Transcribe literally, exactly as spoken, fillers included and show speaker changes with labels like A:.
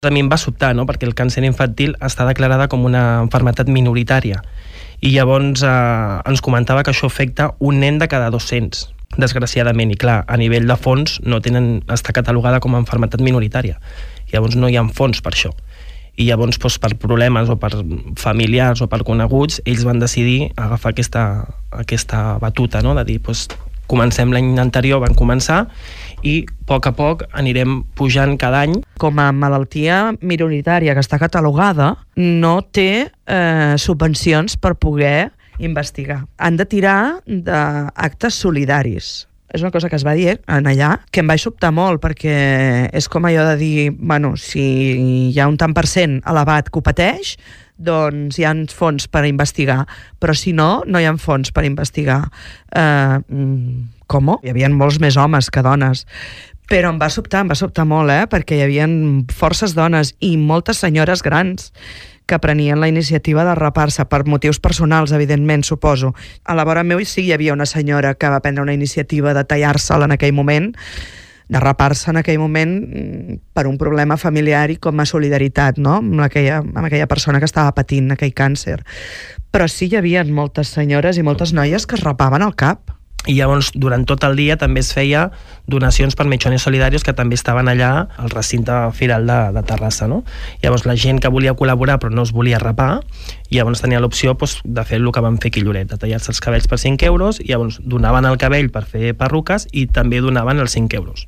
A: A mi em va sobtar, no? Perquè el càncer infantil està declarada com una malaltia minoritària i llavors eh, ens comentava que això afecta un nen de cada dos-cents, desgraciadament, i clar, a nivell de fons no tenen, està catalogada com a malaltia minoritària, llavors no hi ha fons per això, i llavors doncs, per problemes o per familiars o per coneguts, ells van decidir agafar aquesta, aquesta batuta, no? De dir, doncs, comencem l'any anterior, van començar, i a poc a poc anirem pujant cada any.
B: Com a malaltia minoritària que està catalogada, no té eh, subvencions per poder investigar. Han de tirar d'actes solidaris. És una cosa que es va dir en allà, que em va sobtar molt, perquè és com allò de dir, bueno, si hi ha un tant per cent elevat que ho pateix, doncs hi ha fons per investigar, però si no, no hi ha fons per investigar. Eh, com? Hi havia molts més homes que dones. Però em va sobtar, em va sobtar molt, eh? Perquè hi havia forces dones i moltes senyores grans que prenien la iniciativa de rapar-se per motius personals, evidentment, suposo. A la vora meu sí hi havia una senyora que va prendre una iniciativa de tallar-se'l en aquell moment, de rapar-se en aquell moment per un problema familiar i com a solidaritat, no? amb, aquella, amb aquella persona que estava patint aquell càncer. Però sí hi havia moltes senyores i moltes noies que es rapaven el cap.
A: I llavors, durant tot el dia també es feia donacions per Mechones Solidarios que també estaven allà al recinte firal de, de Terrassa, no? Llavors la gent que volia col·laborar però no es volia rapar, i llavors tenia l'opció doncs, de fer el que van fer aquí a Lloret, de tallar-se els cabells per cinc euros, i llavors donaven el cabell per fer perruques i també donaven els cinc euros.